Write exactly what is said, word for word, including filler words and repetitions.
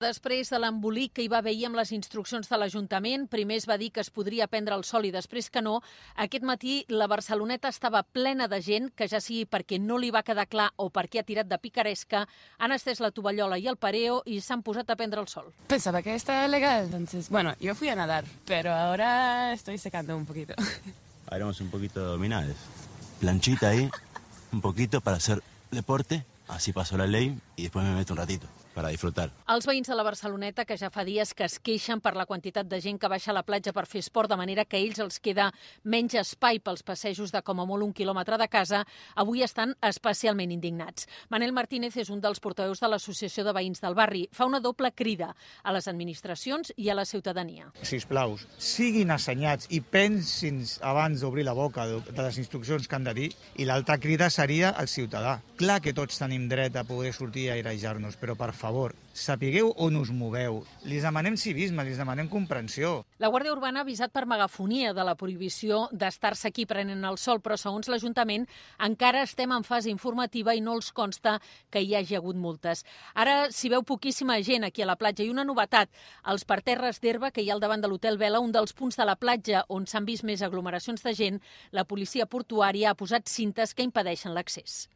Després de l'embolic que hi va haver ahir amb les instruccions de l'Ajuntament, primer es va dir que es podria prendre el sol i després que no, aquest matí la Barceloneta estava plena de gent que, ja sigui perquè no li va quedar clar o perquè ha tirat de picaresca, han estès la tovallola i el pareo i s'han posat a prendre el sol. Pensaba que estaba legal, entonces, bueno, yo fui a nadar, pero ahora estoy secando un poquito. Haremos un poquito de abdominales. Planchita ahí, un poquito para hacer deporte, así paso la ley y después me meto un ratito para disfrutar. Els veïns de la Barceloneta, que ja fa dies que es queixen per la quantitat de gent que baixa a la platja per fer esport, de manera que a ells els queda menys espai pels passejos de com a molt un quilòmetre de casa, avui estan especialment indignats. Manel Martínez és un dels portaveus de l'Associació de Veïns del Barri. Fa una doble crida a les administracions i a la ciutadania. Sisplau, siguin assenyats i pensin abans d'obrir la boca de les instruccions que han de dir, i l'altra crida seria al ciutadà. Clar que tots tenim dret a poder sortir a airejar-nos, però per favor, sapigueu on us moveu. Li demanem civisme, li demanem comprensió. La Guàrdia Urbana ha avisat per megafonia de la prohibició d'estar-se aquí prenent el sol, però segons l'Ajuntament encara estem en fase informativa i no els consta que hi hagi hagut multes. Ara s'hi veu poquíssima gent aquí a la platja i una novetat, els parterres d'herba que hi ha al davant de l'Hotel Vela, un dels punts de la platja on s'han vist més aglomeracions de gent, la policia portuària ha posat cintes que impedeixen l'accés.